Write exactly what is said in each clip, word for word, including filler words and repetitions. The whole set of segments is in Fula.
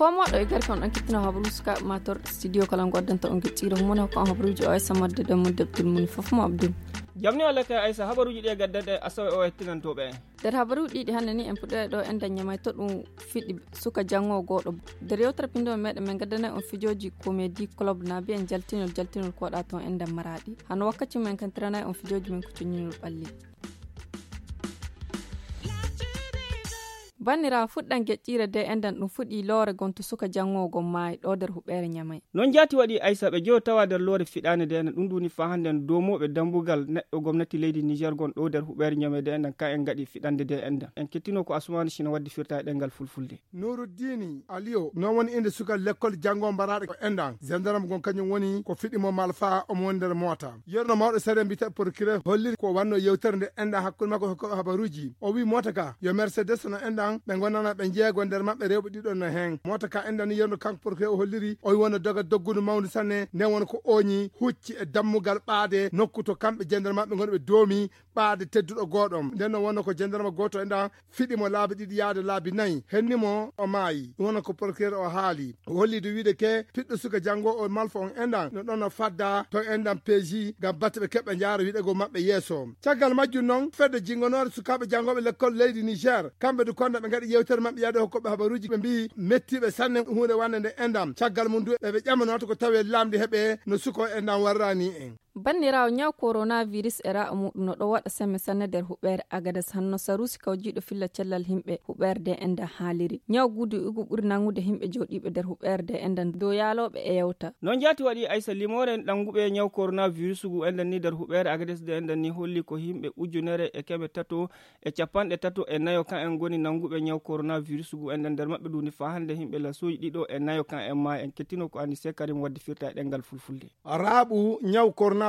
Ko moɗo e garke on ɗon kettino habaruuji sukaaɓe mator studio kala ngo addanta on gecciro humone ko on habaruuji o aysa madde dammu debtul mum fof mo abdul. Jamni o lete aysa habaruuji ɗi e gaddade asawe o hettinantoɓe en. Nder habaruuji ɗiɗi hannde ni en puɗɗoya ɗo en daññamay to ɗum fiɗi suka janngo goɗo. Nder yewtere pindo meɗen men gaddana on fijooji komedi club na mbiyen jaltinol jaltinol koɗa toon en nder maraɗi hano wakkati men kantiranay on fijooji men ko coñinol ɓalli. Banniraawo fuɗɗan geƴƴiire de enɗan ɗum fuɗi loore gon to suka janngo gon maayi ɗo nder huɓeere ñamay. Noon jaati waɗi aysa ɓe joyo tawa nder loore fiɗaande de enɗan ɗum ɗum ni faa hannde en doomooɓe dambugal neɗɗo gomnati leydi niger gon ɗo nder huɓeere ñamay de enɗan ka en ngaɗi fiɗande de enɗan en kettino ko asumaani sina waddi firta e ɗemngal fulfulde. Nuruddini Aliyo noon woni innde suka lekkol janngo mbaraaɗe ko enɗan gendarme gon kañum woni ko fiɗi mo malfa omo woni nder moota. Yerno mawɗo sariya mbiyetee procureur holliri ko wannoo yewtere nde enɗan hakkunde makko e hokkooɓe habaruuji. O wiyi moota ka yo Mercedes no enɗan ɓe ngonana ɓe jeego nder maɓɓe rewɓe ɗiɗo no heen. Moota ka enɗan ni yerno kanko procureur o holliri o wi wonno doga doggundu mawndu sanne nden wona ko ooñi hucci e dammugal ɓaade nokku to kamɓe jendere maɓɓe ngoni ɓe doomi ɓaade tedduɗo gooɗo. Nden no wonno ko jendarma gooto enɗan fiɗi mo laabi ɗiɗi yaade laabi nayi henni mo o maayi ɗum wona ko procureur o haali. O holli de wiide ke piɗɗo suka janngo o malfa on enɗan no ɗon no fadda to enɗan peeji ngam batte ɓe keɓɓe njaara wiɗego maɓɓe yeeso. Caggal majjum noon fedde jingonoore sukaaɓe janngooɓe lekkol leydi niger kamɓe du konda ɓe ngaɗi yewtere maɓɓe yaade hokkoɓe habaruuji ɓe mbiyi mettiɓe sanne huunde wannde nde enɗan caggal mum du eɓe ƴamanooto ko tawi laamdi heɓe no suko enɗan warrani en. Banniraawo ñaw koronavirus e ra'a muɗum no ɗo waɗa semme sanne nder huɓeere agades hanno sarusi kawjiiɗo filla cellal himɓe huɓeere de enɗan haaliri ñaw gudu igu ɓuri nangude himɓe jooɗiiɓe nder huɓeere de enɗan dow yaalooɓe e yewta. Noon jaati waɗi aysa limoore ɗannguɓe ñaw koronavirus ngu enɗan ni nder huɓeere agades de enɗan ni holli ko yimɓe ujunere e keme tato e capanɗe tato e nayo kan en ngoni nannguɓe ñaw koronavirus ngu enɗan nder maɓɓe ɗum ni faa hannde yimɓe lasooji ɗiɗo e nayo kan en maayi en kettino ko anise karim waddi firta e ɗemngal fulfulde. Raaɓu ñaw koronavirus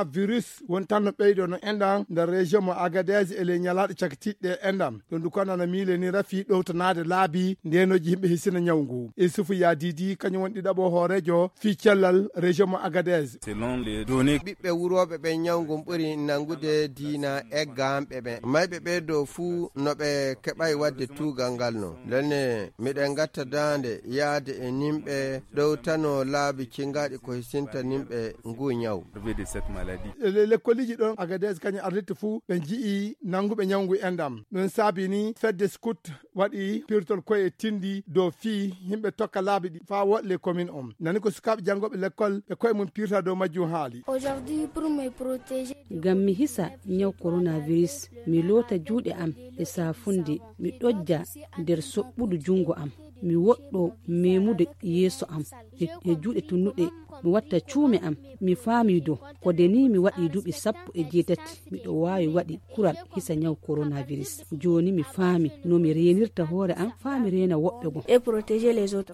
woni tan no ɓeydo no enɗan nder région mo agadez e ley ñalaaɗe cakitiiɗe enɗan ɗum du kono no miile ni rafi ɗowtanaade laabi ndenoji yimɓe hisina ñaw ngu isufu yadidi kañum woni ɗiɗaɓo hooreejo fii cellal région mo agadez. Ɓiɓɓe wurooɓe ɓen ñaw ngun ɓuri nangude diina eggaanɓe ɓen mayɓe ɓe dow fuu no ɓe keɓay waɗde tuugal ngal no lenne miɗen gatta daande yaade e nimɓe ɗowtano laabi cingaɗi ko hisinta nimɓe ngu ñaw. Lekkoliji ɗon agades kañum arditta fuu ɓe nji'i nanguɓe ñaw ngu enɗam ɗum saabi ni fedde scout waɗi pirtol koye tindi dow fii yimɓe tokka laabi ɗi faa woɗle commune on nani ko sukaaɓe janngooɓe lekkol e koye mum pirta dow majjum haali. Ngam mi hisa ñaw koronavirus mi loota juuɗe am e saafunde mi ɗojja nder soɓɓudu junngo am mi woɗɗo memude yeeso am e juuɗe tunnuɗe mi watta cuume am mi faami do ko de ni mi waɗi duuɓi sappo e jeetati miɗo waawi waɗi kural hisa ñaw koronavirus jooni mi faami no mi reenirta hoore am faa mi reena woɓɓe goo.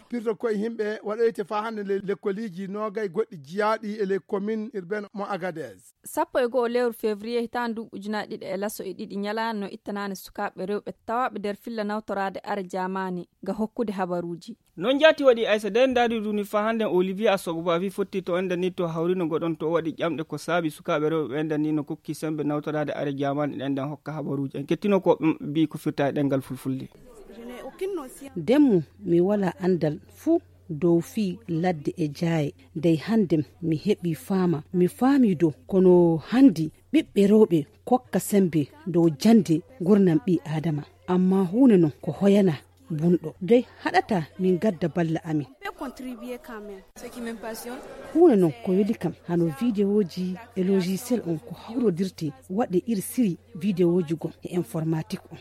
Pirto koye yimɓe waɗoyte faa hannde ley lekkoliji noogay goɗɗi jiyaaɗi e ley commune urbaine mo agadez. Sappo e go'o lewru février hitaande nduuɓi ujunaaji ɗiɗi e laso e ɗiɗi ñalaande no ittanaande sukaaɓe rewɓe tawaaɓe nder filla nawtoraade are jaamaani ga hokkude habaruuji. Noon jaati waɗi aysa de ndaadi duni faa hannde olivier asogba wi fotti to enden ni to hawrino goɗon to o waɗi ƴamɗe ko saabi sukaaɓe rewɓe ɓe enden ni no kokki sembe nawtoraade are jaamaani ɗen nden hokka habaruuji en kettino ko ɓe mbi ko firta e ɗemngal fulfulde. Demmu mi walaa anndal fuu dow fii ladde e jaaye dey hanndem mi heɓii faama mi faamii dow kono hanndi ɓiɓɓe rewɓe kokka semmbe dow jannde nguurndam ɓii-aadama ammaa huunde non ko hoyanaa bunɗo dey haɗataa min ngadda balla amin. Huunde non ko weli kam hano videoji e logiciel on ko hawrodirtee waɗee iri siri videoji goo e informatik on.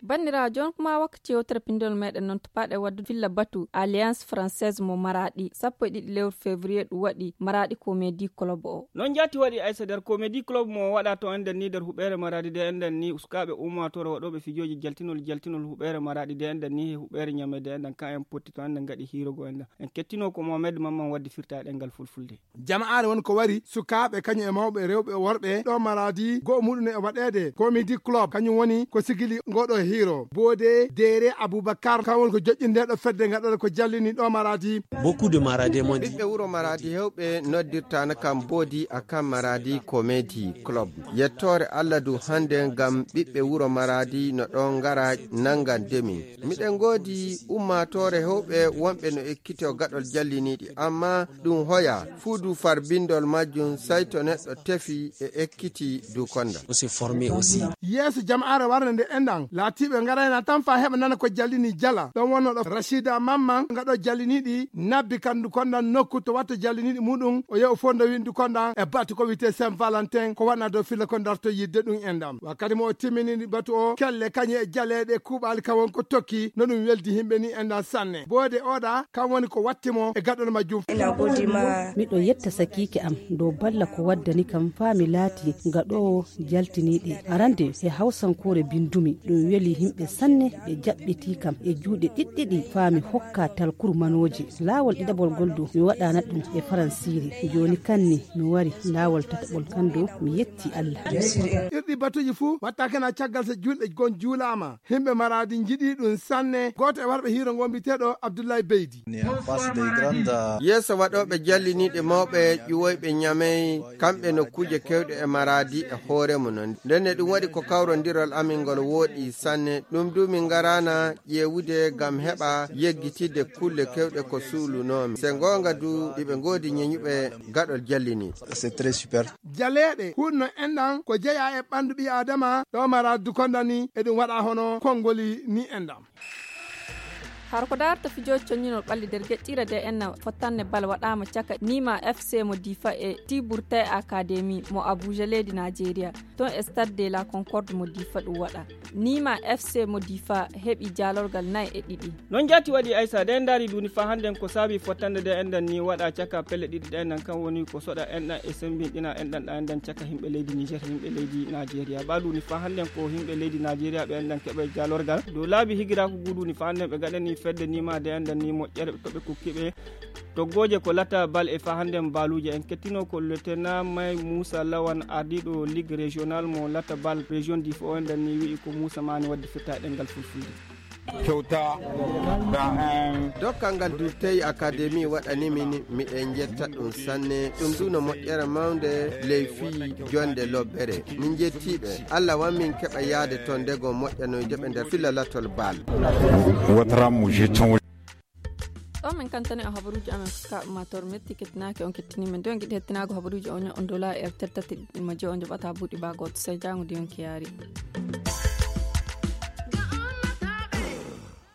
Banndiraawo jooni kuma wakkati yewtere pinndol meɗen noon to paaɗe wadde filla batu alliance française mo maraɗi sappo e ɗiɗi lewru février ɗum waɗi maraɗi comédie club o. Noon jaati waɗi aysa nder comédie club mo waɗa to enɗen ni nder huɓeere maraɗi de enɗen ni uskaaɓe ummaatoore waɗooɓe fijooji jaltinol jaltinol huɓeere maraɗi de enɗen ni he huɓeere ñame de enɗen ka en potti to enɗen ngaɗi hiirogo enɗen en kettino ko mohamed mamman waddi firta e ɗemngal fulfulde. Jama'aare woni ko wari sukaaɓe kañum e mawɓe rewɓe e worɓe ɗo maraadi go'o muɗum e waɗeede komidi club kañum woni ko sigili ngoɗo. Iro boode deere abubakar kan woni ko joƴƴindeeɗo fedde ngaɗoɗo ko jallini ɗo maradi. Beaucoup de maradis mon ɓiɓɓe wuro maradi hewɓe noddirtano kam boodi a kan maradi comedy club. Yettoore allah du hannde ngam ɓiɓɓe wuro maradi no ɗon ngara nanngan demin. Miɗen ngoodi ummaatoore hewɓe wonɓe no ekkito gaɗol jalliniiɗi amma ɗum hoya fuu du farbindol majjum say to neɗɗo tefi e ekkiti du konda. Aussi formé aussi. Yeeso jama'aare warde nde enɗan laatiiɓe ngarayna tan faa heɓa nana ko jallini jala ɗon wonno ɗo rachida mamman ngaɗo jalliniiɗi nabbi kandu kondan nokku to watta jalliniiɗi muɗum o yew fondo windu kondan e batu ko wiyte saint valentin ko waɗna dow filla ko darto yidde ɗum enɗan wakkati mo o timminini batu o kelle kañe e jaleeɗe kuuɓaali ka won ko tokki no ɗum weldi himɓe ni enɗan sanne boode oɗa kan woni ko watti mo e gaɗol majjum. Ina godi ma. Miɗo yetta sakiike am dow balla ko waddani kam faa mi laati gaɗoowo jaltiniiɗi. Arande e hawsankoore bindumi, ɗum weli yimɓe sanne, ɓe jaɓɓitii kam e juuɗe ɗiɗɗiɗi faa mi hokka talkur manooji. Laawol ɗiɗaɓol gol du mi waɗaana ɗum e faransiiri. Jooni kan ni mi wari laawol tataɓol kan du mi yetti Allah. Irɗi batuji fuu watta kena caggal so julɗe gon juulaama. Himɓe maraadi njiɗi ɗum sanne. Gooto e warɓe hiiro ngo mbiteeɗo Abdullahi Beydi. Yeeso waɗooɓe jalliniiɗe mawɓe ƴuwoyɓe ñamey kamɓe nokkuuje kewɗe e maraadi e hoore mum non. Ndenne ɗum waɗi ko kawrondirol amin ngol wooɗi sanne. Ɗum du min ngaraana ƴeewude ngam heɓa yeggitidde kulle kewɗe ko suulunoomi. Se ngoonga du iɓe ngoodi ñeñuɓe gaɗol jalliniiɗe. C'est très super. Jaleeɗe hunno enɗan ko jeyaa e ɓanndu ɓii aadama ɗo mara dukondani e ɗum waɗa hono konngoli ni enɗan. Hara ko daarta fijooji coññinol ɓalli nder geƴƴira de enna fottanne bal waɗaama caka nima fc mo difa e tiburte académie mo abuja leydi nigeria. Toon e stade de la concorde mo difa ɗum waɗa nima fc mo difa heɓi jaalorgal nayi e ɗiɗi. Noon jaati waɗi aysa de ndaari duuni faa hannden ko saabi fottande de enɗan ni waɗa caka pelle ɗiɗi ɗe enɗan kan woni ko soɗa enɗan e sembinɗina enɗan ɗa enɗan caka himɓe leydi niger himɓe leydi nigeria ba duuni faa hannden ko himɓe leydi nigeria ɓe enɗan keɓa jaalorgal dow laabi higiraaku guduuni faa hannden ɓe gaɗani fedde nima de enɗan ni moƴƴere ko ɓe kokki ɓe. Toggooje ko latta bal e faa hannden baaluuje en kettino ko letena may muusa lawan ardiiɗo ligue régional mo latta bal région difa o enɗan ni wi'i ko muusa maani waɗde firta e ɗemngal fulfulde. Kewta. Dokkal ngal du tawi académie waɗani min miɗen njetta ɗum sanne ɗum du no moƴƴere mawnde ley fii jonde lobbere. Min njettiiɓe allah wan min keɓa yaade toon ndego moƴƴanoyde ɓe nder filla lattol baal. Watara mo jeton. Ɗo min kantani o habaruuji amen fuska ummator metti kettinaaki on kettini men de on giɗi hettinaago habaruuji on on dola e tertati ma je on joɓata buuɗi ba gooto sey jaango de on kiyaari.